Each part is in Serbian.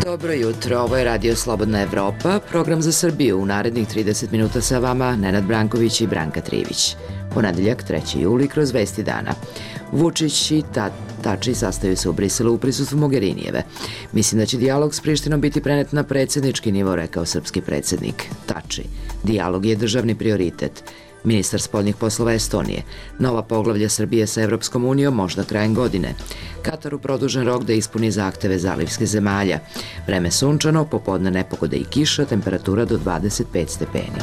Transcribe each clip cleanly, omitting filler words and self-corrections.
Dobro jutro, ovo je Radio Slobodna Evropa, program za Srbiju. U narednih 30 minuta sa vama Nenad Branković i Branka Trivić. Ponedeljak, 3. juli, kroz vesti dana. Vučić i Tači sastaju se u Briselu u prisustvu Mogherinijeve. Mislim da će dijalog s Prištinom biti prenet na predsjednički nivo, rekao srpski predsjednik. Tači. Dijalog je državni prioritet. Ministar spoljnih poslova Estonije. Nova poglavlja Srbije sa Evropskom unijom možda krajem godine. Kataru produžen rok da ispuni zahteve zalivskih zemalja. Vreme sunčano, popodne nepogode i kiša, temperatura do 25 stepeni.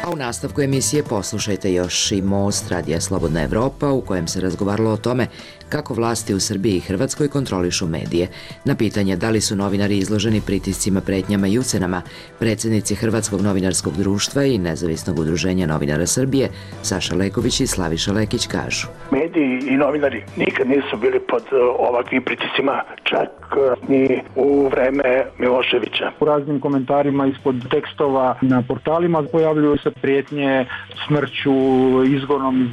A u nastavku emisije poslušajte još i Most Radija Slobodna Evropa, u kojem se razgovaralo o tome kako vlasti u Srbiji i Hrvatskoj kontrolišu medije. Na pitanje da li su novinari izloženi pritiscima, pretnjama i ucenama, predsjednici Hrvatskog novinarskog društva i Nezavisnog udruženja novinara Srbije, Saša Leković i Slaviša Lekić kažu. Mediji i novinari nikad nisu bili pod ovakvim pritiscima, čak ni u vreme Miloševića. U raznim komentarima ispod tekstova na portalima pojavljuju se prijetnje smrću, izgonom.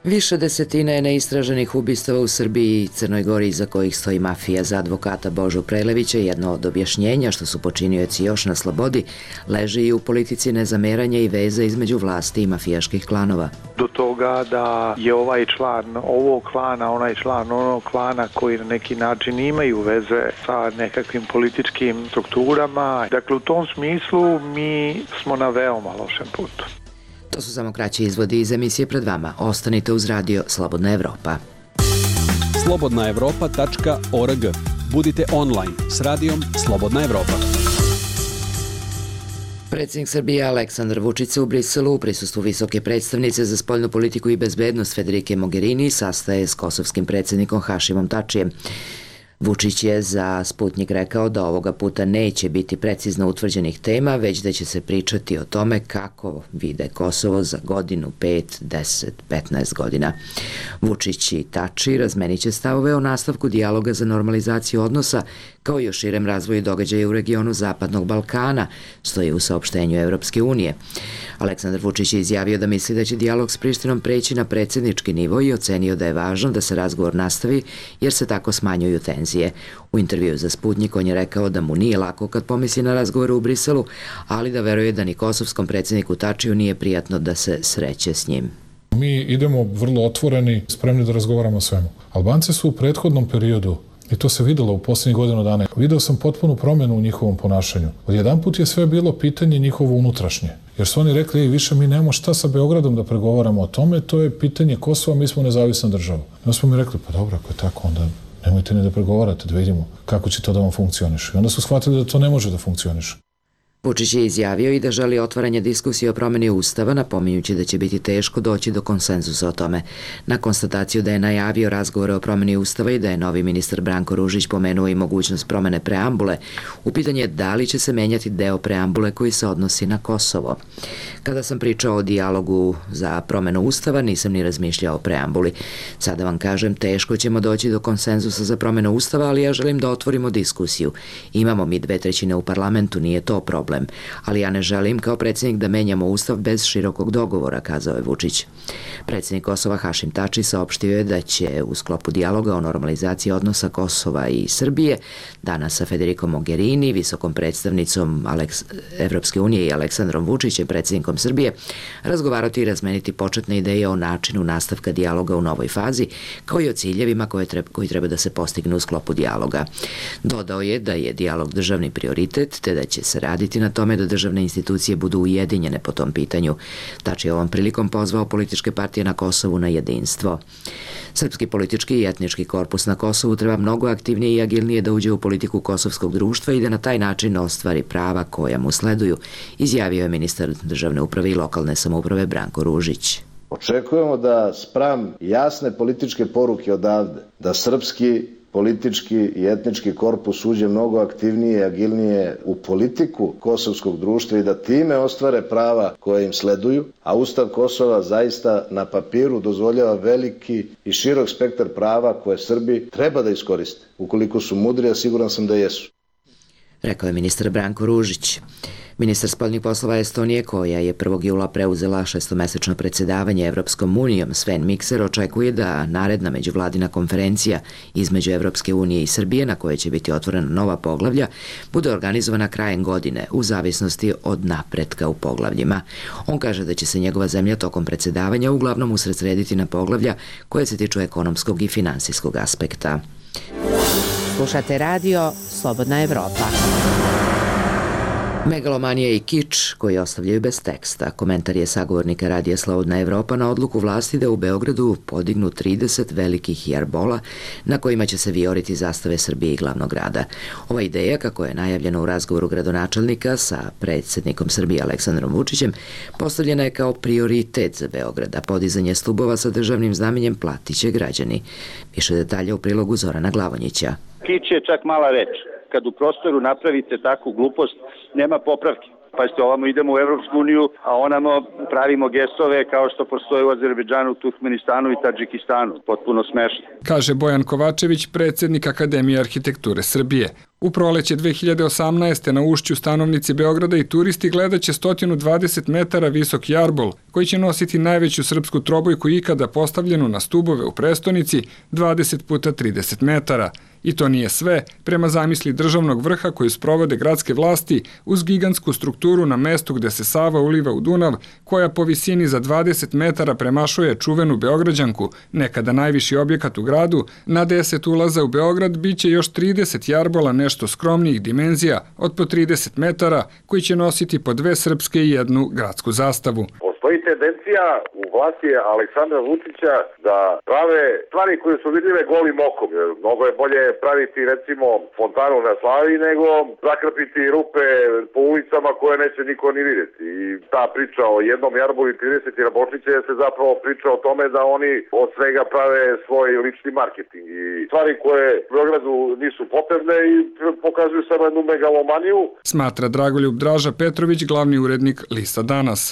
Više desetina je neistraženih ubistava u Srbiji i Crnoj Gori iza kojih stoji mafija. Za advokata Božu Prelevića jedno od objašnjenja što su počinioci još na slobodi leži i u politici nezameranja i veze između vlasti i mafijaških klanova. Do toga da je ovaj član ovog klana, onaj član onog klana koji na neki način imaju veze sa nekakvim političkim strukturama. Dakle, u tom smislu mi smo na veoma lošem putu. To su samo kraći izvodi iz emisije pred vama. Ostanite uz Radio Slobodna Evropa. slobodnaevropa.org. Budite online s radijom Slobodna Evropa. Predsjednik Srbije Aleksandar Vučić se u Briselu u prisustvu visoke predstavnice za spoljnu politiku i bezbednost Federike Mogherini sastaje s kosovskim predsjednikom Hašimom Tačijem. Vučić je za Sputnik rekao da ovoga puta neće biti precizno utvrđenih tema, već da će se pričati o tome kako vide Kosovo za godinu, 5, 10, 15 godina. Vučić i Tači razmenit će stavove o nastavku dijaloga za normalizaciju odnosa, kao i o širem razvoju događaja u regionu Zapadnog Balkana, stoji u saopštenju Evropske unije. Aleksandar Vučić je izjavio da misli da će dijalog s Prištinom preći na predsjednički nivo i ocenio da je važno da se razgovor nastavi jer se tako smanjuju tenzije. U intervju za Sputnik on je rekao da mu nije lako kad pomisli na razgovor u Briselu, ali da veruje da ni kosovskom predsjedniku Tačiju nije prijatno da se sreće s njim. Mi idemo vrlo otvoreni, spremni da razgovaramo o svemu. Albanci su u prethodnom periodu, i to se videlo u posljednjih godinu dana, video sam potpunu promjenu u njihovom ponašanju. Odjedanput je sve bilo pitanje njihovo unutrašnje. Jer su oni rekli, više mi nemamo šta sa Beogradom da pregovaramo o tome, to je pitanje Kosova, mi smo nezavisna država. I onda smo mi rekli, pa dobro, ako je tako, onda nemojte ni da pregovarate, da vidimo kako će to da vam funkcioniše. I onda su shvatili da to ne može da funkcioniše. Vučić je izjavio i da želi otvaranje diskusije o promjeni Ustava, napominjući da će biti teško doći do konsenzusa o tome. Na konstataciju da je najavio razgovore o promjeni Ustava i da je novi ministar Branko Ružić pomenuo i mogućnost promjene preambule, u pitanje je da li će se menjati deo preambule koji se odnosi na Kosovo. Kada sam pričao o dijalogu za promjenu Ustava, nisam ni razmišljao o preambuli. Sada vam kažem, teško ćemo doći do konsenzusa za promjenu Ustava, ali ja želim da otvorimo diskusiju. Imamo mi 2/3 u parlamentu, nije to problem. Ali ja ne želim kao predsjednik da menjamo Ustav bez širokog dogovora, kazao je Vučić. Predsjednik Kosova Hašim Tači saopštio je da će u sklopu dijaloga o normalizaciji odnosa Kosova i Srbije danas sa Federikom Mogherini, visokom predstavnicom Evropske unije i Aleksandrom Vučićem, predsjednikom Srbije, razgovarati i razmeniti početne ideje o načinu nastavka dijaloga u novoj fazi, kao i o ciljevima koji treba da se postignu u sklopu dijaloga. Dodao je da je dijalog državni prioritet, te da će se raditi na tome da državne institucije budu ujedinjene po tom pitanju. Tači je ovom prilikom pozvao političke partije na Kosovu na jedinstvo. Srpski politički i etnički korpus na Kosovu treba mnogo aktivnije i agilnije da uđe u politiku kosovskog društva i da na taj način ostvari prava koja mu sleduju, izjavio je ministar državne uprave i lokalne samouprave Branko Ružić. Očekujemo da spram jasne političke poruke odavde, da srpski politički i etnički korpus uđe mnogo aktivnije i agilnije u politiku kosovskog društva i da time ostvare prava koje im sleduju, a Ustav Kosova zaista na papiru dozvoljava veliki i širok spektar prava koje Srbi treba da iskoriste. Ukoliko su mudri, a siguran sam da jesu. rekao je ministar Branko Ružić. Ministar spoljnih poslova Estonije, koja je 1. jula preuzela 6-mesečno predsjedavanje Evropskom unijom, Sven Mikser, očekuje da naredna međuvladina konferencija između Evropske unije i Srbije, na kojoj će biti otvorena nova poglavlja, bude organizovana krajem godine, u zavisnosti od napretka u poglavljima. On kaže da će se njegova zemlja tokom predsjedavanja uglavnom usredsrediti na poglavlja koje se tiču ekonomskog i finansijskog aspekta. Slušate radio Slobodna Evropa. Megalomanija i kič koji ostavljaju bez teksta. Komentar je sagovornika radija Slobodna Evropa na odluku vlasti da u Beogradu podignu 30 velikih jarbola na kojima će se vijoriti zastave Srbije i glavnog grada. Ova ideja, kako je najavljena u razgovoru gradonačelnika sa predsjednikom Srbije Aleksandrom Vučićem, postavljena je kao prioritet za Beograd, a podizanje stubova sa državnim znamenjem platit će građani. Više detalja u prilogu Zorana Glavonjića. Kič je čak mala reč. Kad u prostoru napravite takvu glupost, nema popravke. Pazite, ovamo idemo u Evropsku uniju, a onamo pravimo gestove kao što postoje u Azerbejdžanu, Turkmenistanu i Tadžikistanu. Potpuno smešno. Kaže Bojan Kovačević, predsjednik Akademije arhitekture Srbije. U proleće 2018. na ušću stanovnici Beograda i turisti gledaće 120 metara visok jarbol, koji će nositi najveću srpsku trobojku ikada postavljenu na stubove u prestonici 20 puta 30 metara. I to nije sve, prema zamisli državnog vrha koju sprovode gradske vlasti uz gigantsku strukturu na mestu gde se Sava uliva u Dunav, koja po visini za 20 metara premašuje čuvenu Beograđanku, nekada najviši objekat u gradu, na 10 ulaza u Beograd biće još 30 jarbola nešto skromnijih dimenzija od po 30 metara, koji će nositi po 2 srpske i 1 gradsku zastavu. Postoji tendencija u vlasti Aleksandra Vučića da prave stvari koje su vidljive golim okom. Mnogo je bolje praviti recimo fontanu na Slavi nego zakrpiti rupe po ulicama koje neće niko ni vidjeti. I ta priča o jednom jarbolu i 30 jarbolčića se zapravo priča o tome da oni od svega prave svoj lični marketing. I stvari koje u Beogradu nisu potrebne i pokazuju samo jednu megalomaniju. Smatra Dragoljub Draža Petrović, glavni urednik Lista Danas.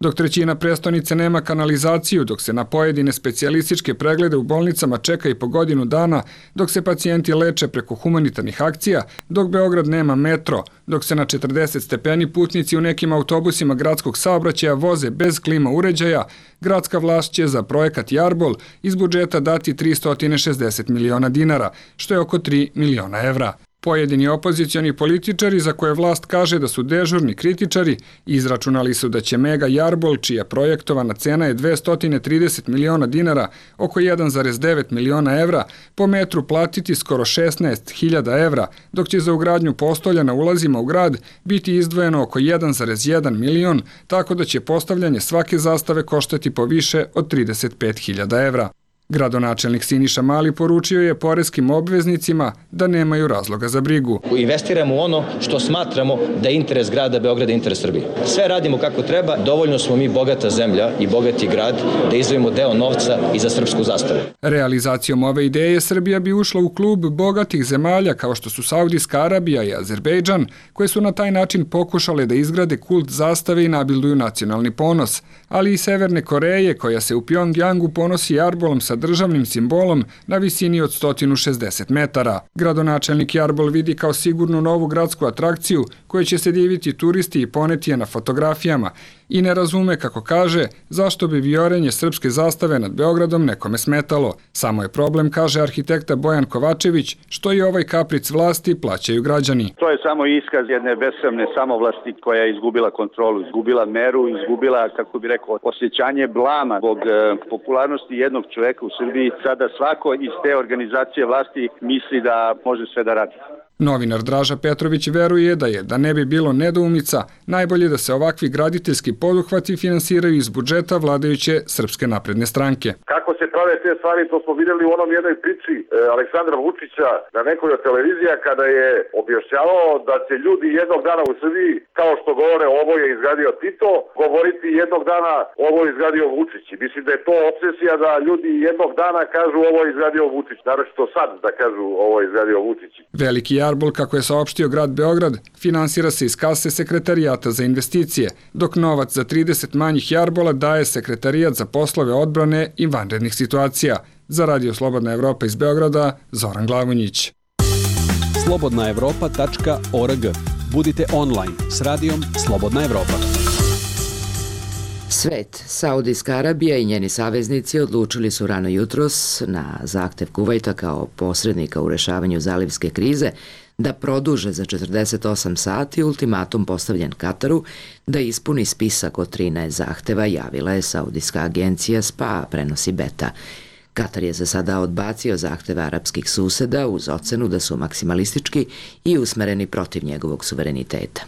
Dok trećina prestonice nema kanalizaciju, dok se na pojedine specijalističke preglede u bolnicama čeka i po godinu dana, dok se pacijenti leče preko humanitarnih akcija, dok Beograd nema metro, dok se na 40 stepeni putnici u nekim autobusima gradskog saobraćaja voze bez klima uređaja, gradska vlast će za projekat Jarbol iz budžeta dati 360 miliona dinara, što je oko 3 miliona evra. Pojedini opozicioni političari, za koje vlast kaže da su dežurni kritičari, izračunali su da će mega jarbol, čija projektovana cena je 230 miliona dinara, oko 1,9 miliona evra, po metru platiti skoro 16.000 evra, dok će za ugradnju postolja na ulazima u grad biti izdvojeno oko 1,1 milion, tako da će postavljanje svake zastave koštati po više od 35.000 evra. Gradonačelnik Siniša Mali poručio je poreskim obveznicima da nemaju razloga za brigu. Investiramo u ono što smatramo da je interes grada Beograda i interes Srbije. Sve radimo kako treba, dovoljno smo mi bogata zemlja i bogati grad da izdvojimo deo novca i za srpsku zastavu. Realizacijom ove ideje Srbija bi ušla u klub bogatih zemalja kao što su Saudijska Arabija i Azerbejdžan, koje su na taj način pokušale da izgrade kult zastave i nabilduju nacionalni ponos, ali i Severne Koreje, koja se u Pjongjangu ponosi jarbolom sa državnim simbolom na visini od 160 metara. Gradonačelnik jarbol vidi kao sigurnu novu gradsku atrakciju koju će se diviti turisti i poneti je na fotografijama i ne razume, kako kaže, zašto bi viorenje srpske zastave nad Beogradom nekome smetalo. Samo je problem, kaže arhitekta Bojan Kovačević, što i ovaj kapric vlasti plaćaju građani. To je samo iskaz jedne besramne samovlasti koja je izgubila kontrolu, izgubila meru, izgubila, kako bi rekao, osjećanje blama zbog popularnosti jednog čoveka u Srbiji. Sada svako iz te organizacije vlasti misli da može sve da radi. Novinar Draža Petrović veruje da ne bi bilo nedoumica, najbolje da se ovakvi graditeljski poduhvati finansiraju iz budžeta vladajuće Srpske napredne stranke. Kako se prave te stvari, to smo vidjeli u onom jednoj priči Aleksandra Vučića na nekoj od televizija kada je objašnjavao da će ljudi jednog dana u Srbiji, kao što govore ovo je izgradio Tito, govoriti jednog dana ovo je izgradio Vučić. Mislim da je to obsesija da ljudi jednog dana kažu ovo je izgradio Vučić, naročito sad da kažu ovo je izgradio Vučić. Veliki jarbol, kako je saopštio grad Beograd, finansira se iz kase Sekretarijata za investicije, dok novac za 30 manjih jarbola daje Sekretarijat za poslove odbrane i vanrednih situacija. Za Radio Slobodna Evropa iz Beograda, Zoran Glavonjić. slobodnaevropa.org. Budite online s radijom Slobodna Evropa. Svet, Saudijska Arabija i njeni saveznici odlučili su rano jutros na zahtev Kuvajta kao posrednika u rešavanju zalivske krize da produže za 48 sati ultimatum postavljen Kataru da ispuni spisak od 13 zahteva, javila je Saudijska agencija SPA, prenosi Beta. Katar je za sada odbacio zahteve arapskih suseda uz ocenu da su maksimalistički i usmereni protiv njegovog suvereniteta.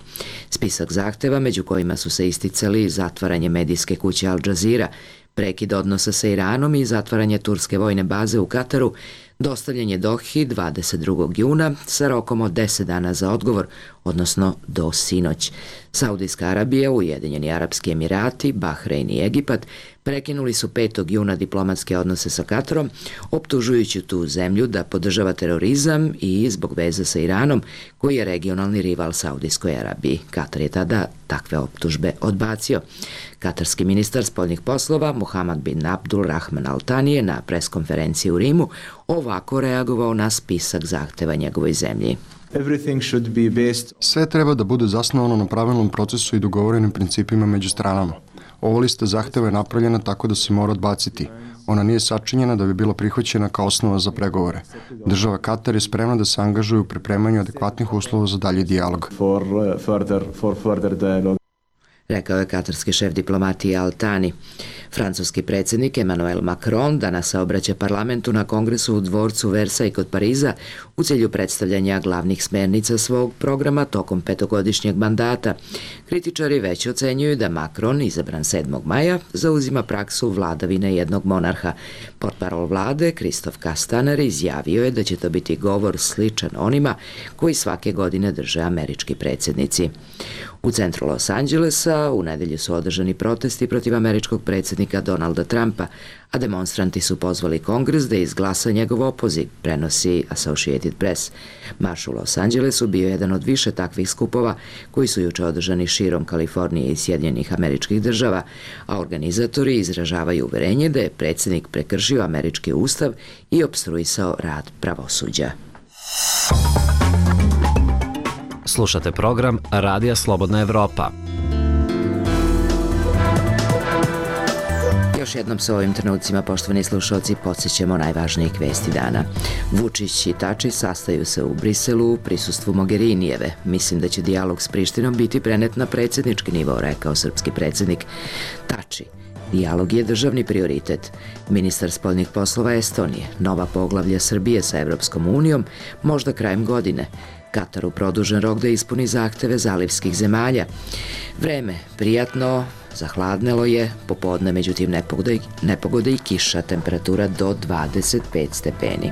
Spisak zahteva, među kojima su se isticali zatvaranje medijske kuće Al Jazeera, prekid odnosa sa Iranom i zatvaranje turske vojne baze u Kataru, dostavljen je Dohi 22. juna sa rokom od 10 dana za odgovor, odnosno do sinoć. Saudijska Arabija, Ujedinjeni Arapski Emirati, Bahrein i Egipat prekinuli su 5. juna diplomatske odnose sa Katarom, optužujući tu zemlju da podržava terorizam i zbog veza sa Iranom, koji je regionalni rival Saudijskoj Arabiji. Katar je tada takve optužbe odbacio. Katarski ministar spoljnih poslova Muhammad bin Abdul Rahman Al Thani je na preskonferenciji u Rimu ovako reagovao na spisak zahteva njegovoj zemlji. Sve treba da bude zasnovano na pravilnom procesu i dogovorenim principima među stranama. Ova lista zahteva je napravljena tako da se mora odbaciti. Ona nije sačinjena da bi bila prihvaćena kao osnova za pregovore. Država Katar je spremna da se angažuje u pripremanju adekvatnih uslova za dalji dijalog. Rekao je katarski šef diplomatije Al Thani. Francuski predsjednik Emmanuel Macron danas se obraća parlamentu na kongresu u dvorcu Versailles kod Pariza u cilju predstavljanja glavnih smernica svog programa tokom 5-godišnjeg mandata. Kritičari već ocenjuju da Macron, izabran 7. maja, zauzima praksu vladavine jednog monarha. Portparol vlade, Christophe Castaner, izjavio je da će to biti govor sličan onima koji svake godine drže američki predsjednici. U centru Los Angelesa u nedelju su održani protesti protiv američkog predsjednika Donalda Trumpa, a demonstranti su pozvali Kongres da izglasa njegov opoziv, prenosi Associated Press. Marš u Los Angelesu bio jedan od više takvih skupova koji su juče održani širom Kalifornije i Sjedinjenih Američkih Država, a organizatori izražavaju uverenje da je predsjednik prekršio američki ustav i opstruisao rad pravosuđa. Slušate program Radija Slobodna Evropa. Još jednom sa ovim trenucima, poštovani slušalci, podsjećamo najvažnijih vesti dana. Vučić i Tači sastaju se u Briselu u prisustvu Mogherinijeve. Mislim da će dijalog s Prištinom biti prenet na predsjednički nivo, rekao srpski predsjednik. Tači: dijalog je državni prioritet. Ministar spoljnih poslova Estonije: nova poglavlja Srbije sa Evropskom unijom, možda krajem godine. Kataru produžen rok da ispuni zahteve zalivskih zemalja. Vreme prijatno, zahladnelo je, popodne međutim nepogode i kiša, temperatura do 25 stepeni.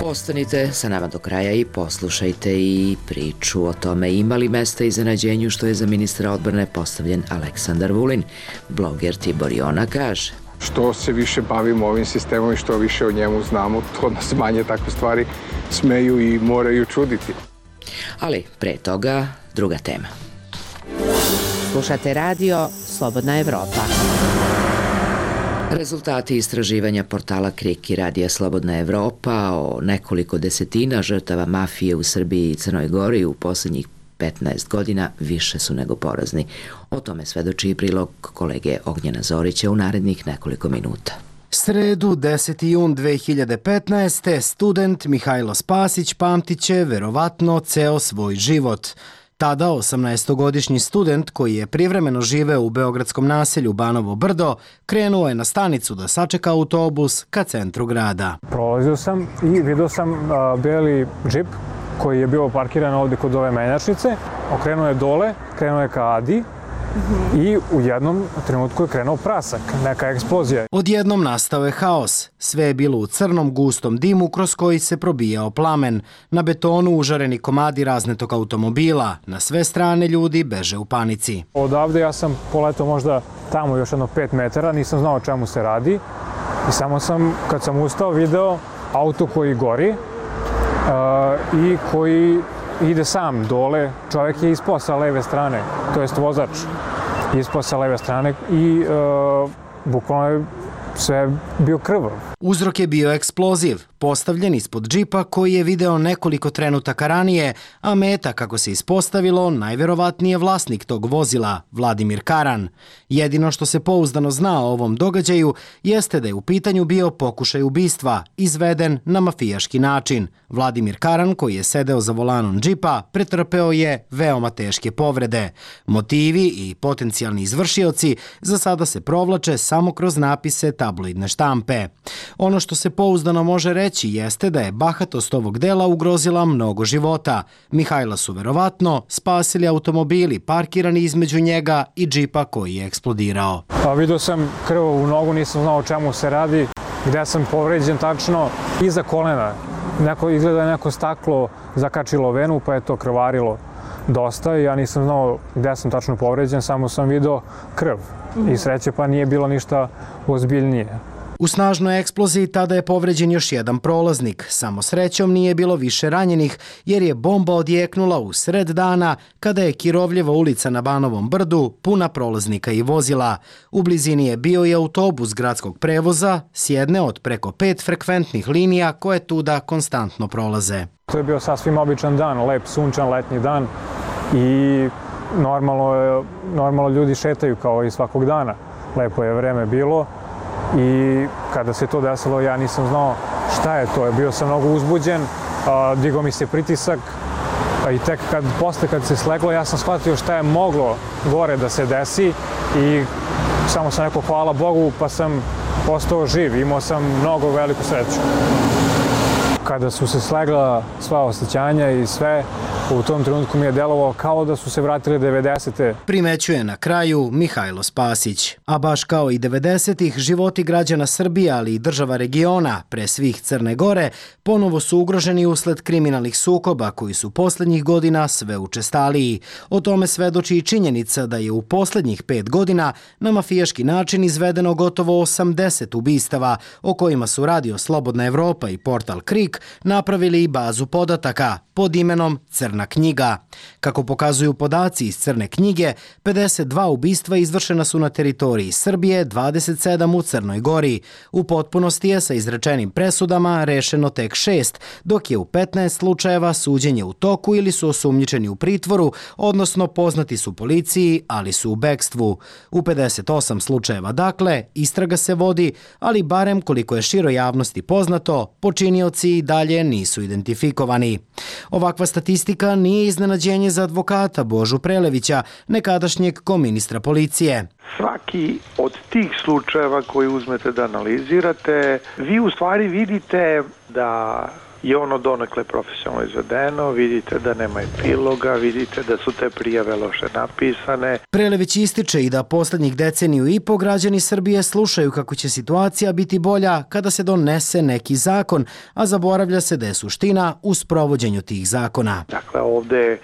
Ostanite sa nama do kraja i poslušajte i priču o tome ima li mesta iznenađenju što je za ministra odbrane postavljen Aleksandar Vulin. Bloger Tibor Jona kaže: što se više bavimo ovim sistemom i što više o njemu znamo, to nas manje takve stvari smeju i moraju čuditi. Ali pre toga druga tema. Slušate radio Slobodna Evropa. Rezultati istraživanja portala KRIK i radija Slobodna Evropa o nekoliko desetina žrtava mafije u Srbiji i Crnoj Gori u posljednjih 15 godina više su nego porazni. O tome svedoči i prilog kolege Ognjena Zorića u narednih nekoliko minuta. Sredu, 10. jun 2015. student Mihajlo Spasić pamtit će verovatno ceo svoj život. Tada 18-godišnji student koji je privremeno živeo u beogradskom naselju Banovo Brdo krenuo je na stanicu da sačeka autobus ka centru grada. Prolazio sam i vidio sam beli džip koji je bio parkiran ovdje kod ove menjačnice. Okrenuo je dole, krenuo je ka Adi i u jednom trenutku je krenuo prasak, neka eksplozija. Odjednom nastao je haos. Sve je bilo u crnom, gustom dimu kroz koji se probijao plamen. Na betonu užareni komadi raznetog automobila. Na sve strane ljudi beže u panici. Odavde ja sam poletao možda tamo još jedno 5 metara, nisam znao o čemu se radi. I samo sam, kad sam ustao, video auto koji gori i koji ide sam dole. Čovjek je ispao sa leve strane, to jest vozač ispao sa leve strane i bukvalno je sve bio krvav. Uzrok je bio eksploziv, postavljen ispod džipa koji je video nekoliko trenutaka ranije, a meta, kako se ispostavilo, najverovatnije vlasnik tog vozila, Vladimir Karan. Jedino što se pouzdano zna o ovom događaju jeste da je u pitanju bio pokušaj ubistva, izveden na mafijaški način. Vladimir Karan, koji je sedeo za volanom džipa, pretrpeo je veoma teške povrede. Motivi i potencijalni izvršioci za sada se provlače samo kroz napise tabloidne štampe. Ono što se pouzdano može reći jeste da je bahatost ovog dela ugrozila mnogo života. Mihajla su verovatno spasili automobili parkirani između njega i džipa koji je eksplodirao. Vidio sam krv u nogu, nisam znao o čemu se radi, gde sam povređen tačno iza kolena. Izgleda neko staklo zakačilo venu pa je to krvarilo dosta i ja nisam znao gde sam tačno povređen, samo sam video krv i sreće pa nije bilo ništa ozbiljnije. U snažnoj eksploziji tada je povređen još jedan prolaznik. Samo srećom nije bilo više ranjenih jer je bomba odjeknula u sred dana kada je Kirovljeva ulica na Banovom brdu puna prolaznika i vozila. U blizini je bio i autobus gradskog prevoza s jedne od preko 5 frekventnih linija koje tuda konstantno prolaze. To je bio sasvim običan dan, lep sunčan letnji dan i normalno ljudi šetaju kao i svakog dana. Lepo je vreme bilo. I kada se to desilo, ja nisam znao šta je to. Bio sam mnogo uzbuđen, digao mi se pritisak i tek posle kad se sleglo, ja sam shvatio šta je moglo gore da se desi i samo sam rekao hvala Bogu pa sam postao živ. Imao sam mnogo veliku sreću. Kada su se slegla sva osjećanja i sve, u tom trenutku mi je delovalo kao da su se vratile 90. Primećuje na kraju Mihajlo Spasić. A baš kao i 90-ih, životi građana Srbije, ali i država regiona, pre svih Crne Gore, ponovo su ugroženi usled kriminalnih sukoba koji su poslednjih godina sve učestaliji. O tome svedoči i činjenica da je u poslednjih 5 godina na mafijaški način izvedeno gotovo 80 ubistava, o kojima su Radio Slobodna Evropa i portal Krik napravili i bazu podataka pod imenom Crna knjiga. Kako pokazuju podaci iz Crne knjige, 52 ubistva izvršena su na teritoriji Srbije, 27 u Crnoj Gori. U potpunosti je sa izrečenim presudama rešeno tek 6, dok je u 15 slučajeva suđenje u toku ili su osumnjičeni u pritvoru, odnosno poznati su policiji, ali su u bekstvu. U 58 slučajeva, dakle, istraga se vodi, ali barem koliko je široj javnosti poznato, počinioci i dalje nisu identifikovani. Ovakva statistika nije iznenađenje za advokata Božu Prelevića, nekadašnjeg koministra policije. Svaki od tih slučajeva koji uzmete da analizirate, vi u stvari vidite da je ono donekle profesionalno izvedeno, vidite da nema epiloga, vidite da su te prijave loše napisane. Prelević ističe i da poslednjih deceniju i po građani Srbije slušaju kako će situacija biti bolja kada se donese neki zakon, a zaboravlja se da je suština u sprovođenju tih zakona. Dakle, ovde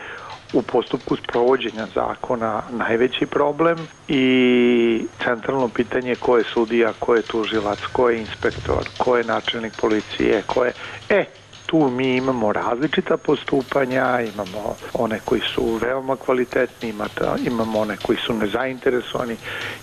u postupku sprovođenja zakona najveći problem i centralno pitanje ko je sudija, ko je tužilac, ko je inspektor, ko je načelnik policije, ko je... Tu mi imamo različita postupanja, imamo one koji su veoma kvalitetni, imamo one koji su nezainteresovani,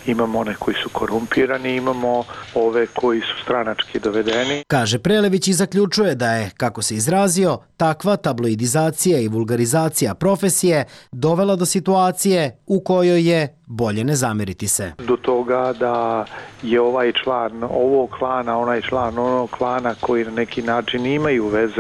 imamo one koji su korumpirani, imamo ove koji su stranački dovedeni. Kaže Prelević i zaključuje da je, kako se izrazio, takva tabloidizacija i vulgarizacija profesije dovela do situacije u kojoj je bolje ne zameriti se. Do toga da je ovaj član ovog klana, onaj član onog klana koji na neki način imaju veze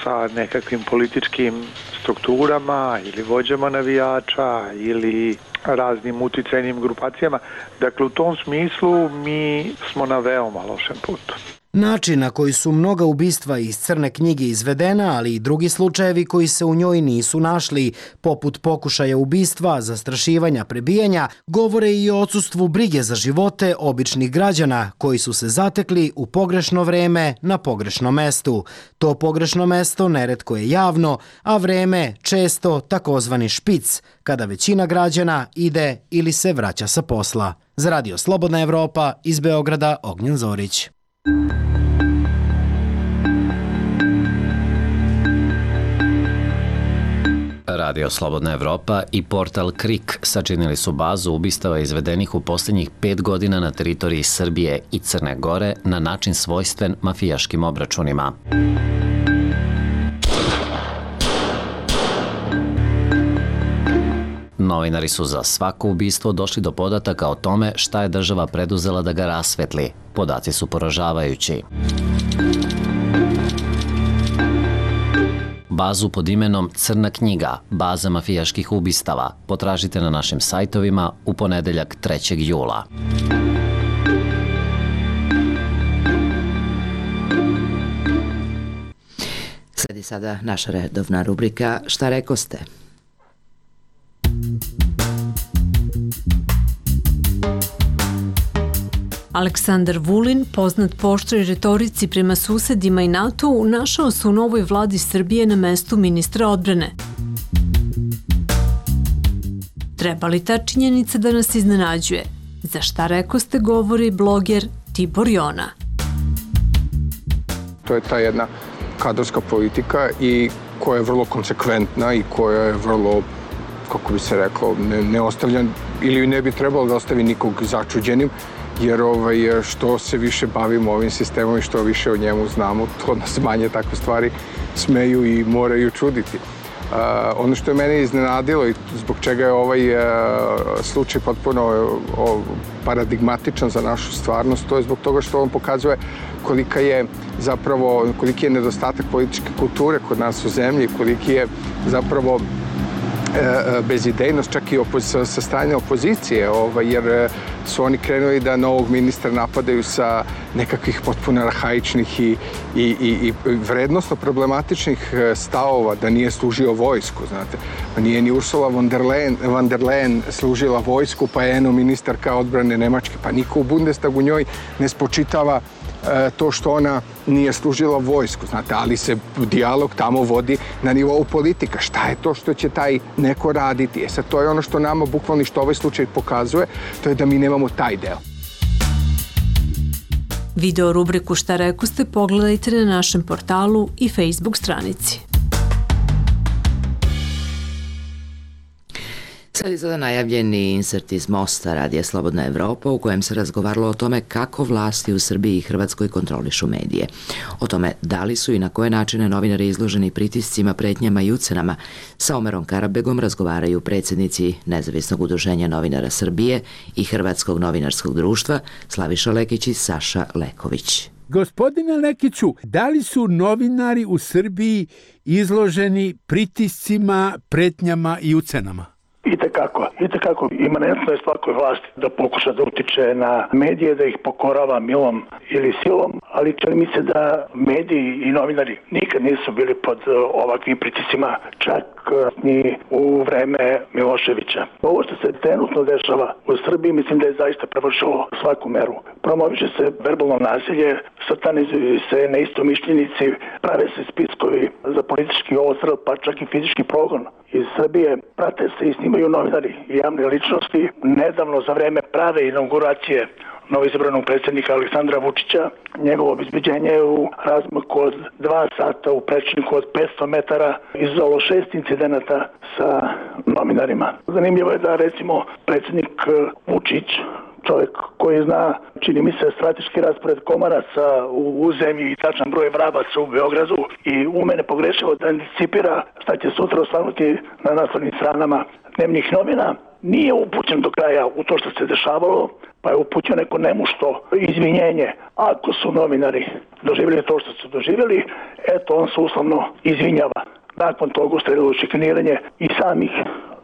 sa nekakvim političkim strukturama ili vođama navijača ili raznim uticajnim grupacijama. Dakle, u tom smislu mi smo na veoma lošem putu. Način na koji su mnoga ubistva iz Crne knjige izvedena, ali i drugi slučajevi koji se u njoj nisu našli, poput pokušaja ubistva, zastrašivanja, prebijanja, govore i o odsustvu brige za živote običnih građana koji su se zatekli u pogrešno vreme na pogrešnom mestu. To pogrešno mesto neretko je javno, a vreme često takozvani špic, kada većina građana ide ili se vraća sa posla. Za Radio Slobodna Evropa, iz Beograda, Ognjen Zorić. Radio Slobodna Evropa i portal KRIK sačinili su bazu ubistava izvedenih u posljednjih 5 godina na teritoriji Srbije i Crne Gore na način svojstven mafijaškim obračunima. Novinari su za svako ubistvo došli do podataka o tome šta je država preduzela da ga rasvetli. Podaci su poražavajući. Bazu pod imenom Crna knjiga, baza mafijaških ubistava, potražite na našim sajtovima u ponedeljak 3. jula. Sledi sada naša redovna rubrika Šta rekoste? Aleksandar Vulin, poznat po oštroj retorici prema susedima i NATO-u, našao se u novoj vladi Srbije na mestu ministra odbrane. Treba li ta činjenica da nas iznenađuje? Za šta rekoste govori bloger Tibor Jona. To je ta jedna kadrovska politika i koja je vrlo konsekventna i koja je vrlo, kako bi se reklo, ne ostavlja ili ne bi trebalo da ostavi nikog začuđenim, jer što se više bavimo ovim sistemom i što više o njemu znamo, to nas manje takve stvari smeju i moraju čuditi. Ono što je mene iznenadilo i zbog čega je ovaj slučaj potpuno paradigmatičan za našu stvarnost, to je zbog toga što on pokazuje koliki je nedostatak političke kulture kod nas u zemlji, koliki je zapravo bezidejnost čak i sa strane opozicije, jer su oni krenuli da novog ministra napadaju sa nekakvih potpuno arhaičnih i vrednostno problematičnih stavova, da nije služio vojsku, znate. Nije ni Ursula von der Leyen služila vojsku, pa je ministarka odbrane Nemačke, pa niko u Bundestagu njoj ne spočitava to što ona nije služila vojsku, znate, ali se dijalog tamo vodi na nivou politika. Šta je to što će taj neko raditi? Sad, to je ono što nama bukvalno što ovaj slučaj pokazuje, to je da mi nemamo taj deo. Video rubriku Šta rekoste pogledajte na našem portalu i Facebook stranici. Sledi sada najavljeni insert iz Mosta Radija Slobodna Evropa u kojem se razgovaralo o tome kako vlasti u Srbiji i Hrvatskoj kontrolišu medije. O tome da li su i na koje načine novinari izloženi pritiscima, pretnjama i ucenama sa Omerom Karabegom razgovaraju predsjednici Nezavisnog udruženja novinara Srbije i Hrvatskog novinarskog društva Slaviša Lekić i Saša Leković. Gospodine Lekiću, da li su novinari u Srbiji izloženi pritiscima, pretnjama i ucenama? Itekako imanentno je svakoj vlasti da pokuša da utiče na medije, da ih pokorava milom ili silom, ali čini mi se da mediji i novinari nikad nisu bili pod ovakvim pritiscima, čak ni u vreme Miloševića. Ovo što se trenutno dešava u Srbiji mislim da je zaista prevršilo svaku meru. Promoviše se verbalno nasilje, satanizuju se neistomišljenici, prave se spiskovi za politički odstrel, pa čak i fizički progon. Iz Srbije prate se i snimaju novinari i javne ličnosti. Nedavno za vreme prave inauguracije novoizabranog predsjednika Aleksandra Vučića, njegovo obezbeđenje u razmaku od 2 sata u prečniku od 500 metara izazvalo 6 incidenata sa novinarima. Zanimljivo je da recimo predsjednik Vučić, čovjek koji zna, čini mi se, strateški raspored komaraca u zemlji i tačan broj vrabaca u Beogradu i ume nepogrešivo da anticipira šta će sutra osvanuti na naslovnim stranama dnevnih novina, nije upućen do kraja u to što se dešavalo, pa je upućen neko nemušto izvinjenje. Ako su novinari doživjeli to što su doživjeli, eto on se uslovno izvinjava. Nakon toga usledilo šikaniranje i samih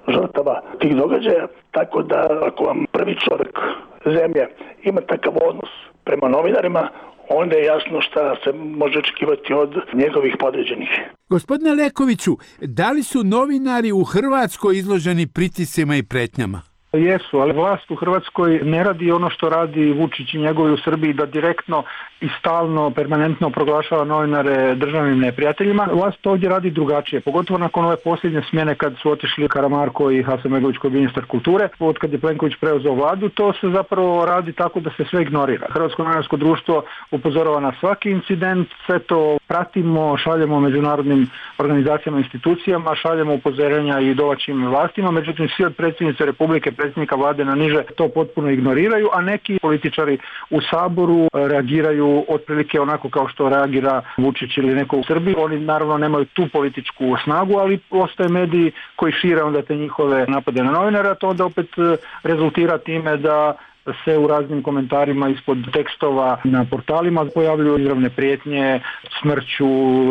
žrtava tih događaja, tako da ako vam prvi čovjek zemlje ima takav odnos prema novinarima, onda je jasno šta se može očekivati od njegovih podređenih. Gospodine Lekoviću, da li su novinari u Hrvatskoj izloženi pritiscima i pretnjama? Jesu, ali vlast u Hrvatskoj ne radi ono što radi Vučić i njegovi u Srbiji, da direktno i stalno, permanentno proglašava novinare državnim neprijateljima. Vlast ovdje radi drugačije, pogotovo nakon ove posljednje smjene kad su otišli Karamarko i Hasanbegović koji je ministar kulture. Od kad je Plenković preuzeo vladu, to se zapravo radi tako da se sve ignorira. Hrvatsko novinarsko društvo upozorava na svaki incident, sve to pratimo, šaljemo međunarodnim organizacijama, institucijama, šaljemo upozorenja i domaćim vlastima, međutim svi od predsjednice Republike, predsjednika vlade na niže to potpuno ignoriraju, a neki političari u Saboru reagiraju otprilike onako kao što reagira Vučić ili neko u Srbiji. Oni naravno nemaju tu političku snagu, ali postoje mediji koji šire onda te njihove napade na novinara, to onda opet rezultira time da se u raznim komentarima ispod tekstova na portalima pojavljuju izravne prijetnje, smrću,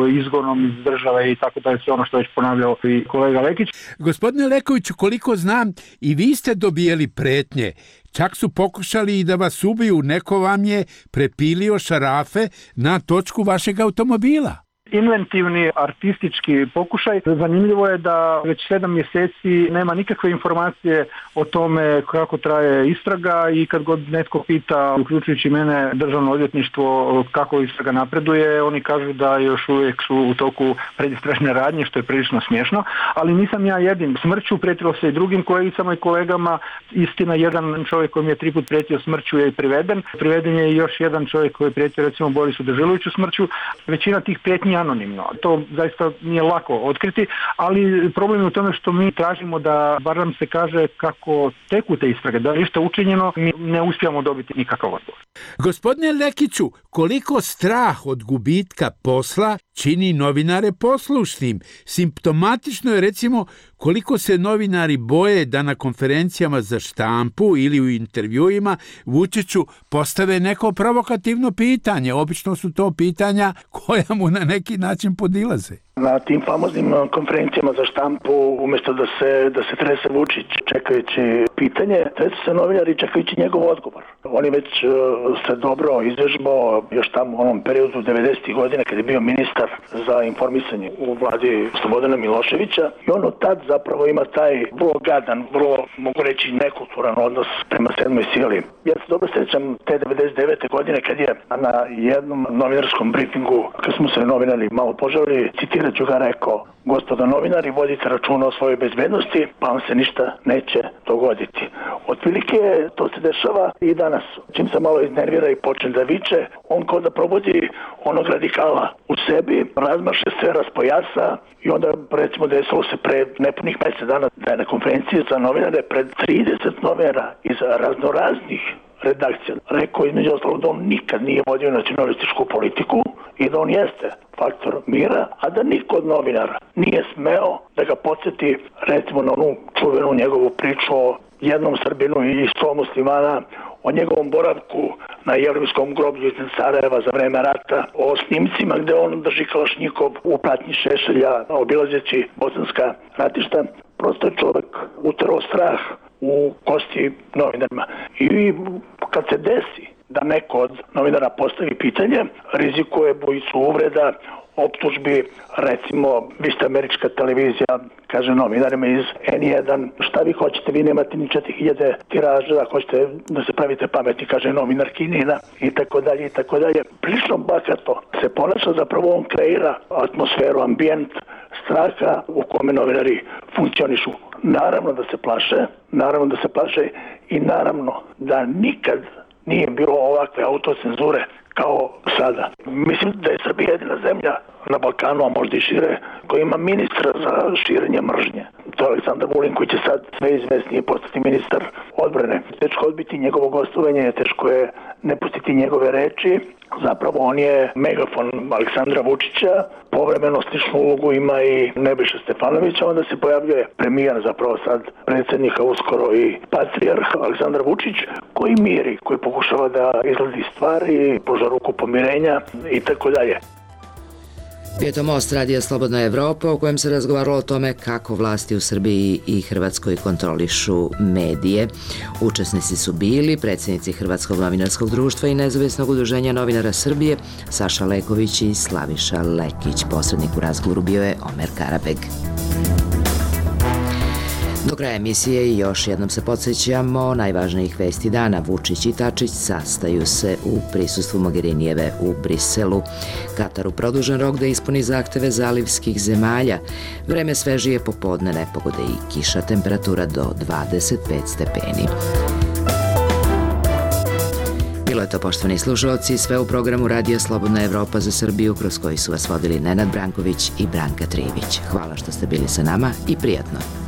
izgonom iz države i tako dalje, sve ono što je već ponavljao i kolega Lekić. Gospodine Lekoviću, koliko znam, i vi ste dobijeli pretnje. Čak su pokušali i da vas ubiju, neko vam je prepilio šarafe na točku vašeg automobila. Inventivni artistički pokušaj. Zanimljivo je da već 7 mjeseci nema nikakve informacije o tome kako traje istraga i kad god netko pita, uključujući mene, državno odvjetništvo kako istraga napreduje, oni kažu da još uvijek su u toku predistražne radnje, što je prilično smiješno, ali nisam ja jedin. Smrću prijetilo se i drugim kolegicama i kolegama. Istina, jedan čovjek koji mi je 3 put prijetio smrću je i priveden. Priveden je i još jedan čovjek koji je prijetio recimo Borisu Dežuloviću smrću. Većina tih prijetnji anonimno. To zaista nije lako otkriti, ali problem je u tome što mi tražimo da bar nam se kaže kako teku te istrage, da je ništa učinjeno, mi ne uspijamo dobiti nikakav odgovor. Gospodine Lekiću, koliko strah od gubitka posla čini novinare poslušnim? Simptomatično je recimo koliko se novinari boje da na konferencijama za štampu ili u intervjuima Vučiću postave neko provokativno pitanje. Obično su to pitanja koja mu na neki način podilaze. Na tim famoznim konferencijama za štampu, umjesto da se trese Vučić čekajući pitanje, tresu se novinari čekajući njegov odgovor. On je već se dobro izvežbao još tamo u onom periodu 90. godine kad je bio ministar za informisanje u vladi Slobodana Miloševića i on od tad zapravo ima taj vrlo gadan, vrlo, mogu reći, nekulturan odnos prema sedmoj sili. Ja se dobro sjećam te 99. godine kad je na jednom novinarskom briefingu, kad smo se novinari malo požalili, citirat ću ga, rekao: gospodo novinari, vodite računa o svojoj bezbednosti, pa vam se ništa neće dogoditi. Otprilike to se dešava i danas. Čim se malo iznervira i počne da viče, on kao da probudi onog radikala u sebi, razmaše se, raspojasa i onda recimo desilo se pred nepunih mjesec dana da je na konferenciji za novinare pred 30 novinara iz raznoraznih redakcija rekao između ostalog da on nikad nije vodio nacionalističku politiku i da on jeste faktor mira, a da niko od novinara nije smeo da ga podsjeti recimo na onu čuvenu njegovu priču o jednom Srbinu i 100 muslimana, o njegovom boravku na jevrejskom groblju iz Sarajeva za vreme rata, o snimcima gde on drži kalašnjikov u pratnji Šešelja obilazeći bosanska ratišta. Prosto je čovjek uterao strah u kosti novinarima. I kad se desi da neko od novinara postavi pitanje, rizikuje bojicu uvreda, optužbi, recimo, vi ste američka televizija, kaže novinarima iz N1, šta vi hoćete, vi nemate ni 4000 tiraža, hoćete da se pravite pametni, kaže novinar Kinina, i tako dalje, i tako dalje. Prilično bakato se ponaša, zapravo on kreira atmosferu, ambijent straha u kome novinari funkcionišu. Naravno da se plaše i naravno da nikad nije bilo ovakve autocenzure kao sada. Mislim da je Srbija jedina zemlja na Balkanu, a možda i šire, koji ima ministra za širenje mržnje. To je Aleksandar Vulin, koji će sad sve izvesnije postati ministar odbrane. Teško odbiti njegovo gostovanje, teško je ne pustiti njegove reči. Zapravo on je megafon Aleksandra Vučića, povremeno sličnu ulogu ima i Nebojša Stefanović, onda se pojavljuje premijer, zapravo sad predsjednika, uskoro i patrijarh Aleksandar Vučić, koji miri, koji pokušava da izgledi stvari, pruža ruku pomirenja i tako dalje. Bio je to Most radija Slobodna Evropa u kojem se razgovaralo o tome kako vlasti u Srbiji i Hrvatskoj kontrolišu medije. Učesnici su bili predsjednici Hrvatskog novinarskog društva i Nezavisnog udruženja novinara Srbije Saša Leković i Slaviša Lekić. Posrednik u razgovoru bio je Omer Karabeg. Do kraja emisije i još jednom se podsjećamo najvažnijih vesti dana. Vučić i Tačić sastaju se u prisustvu Mogherinijeve u Briselu. Kataru produžen rok da ispuni zahteve zalivskih zemalja. Vreme svežije popodne, nepogode i kiša, temperatura do 25 stepeni. Bilo je to, poštovani slušalci, sve u programu Radija Slobodna Evropa za Srbiju, kroz koji su vas vodili Nenad Branković i Branka Trivić. Hvala što ste bili sa nama i prijatno.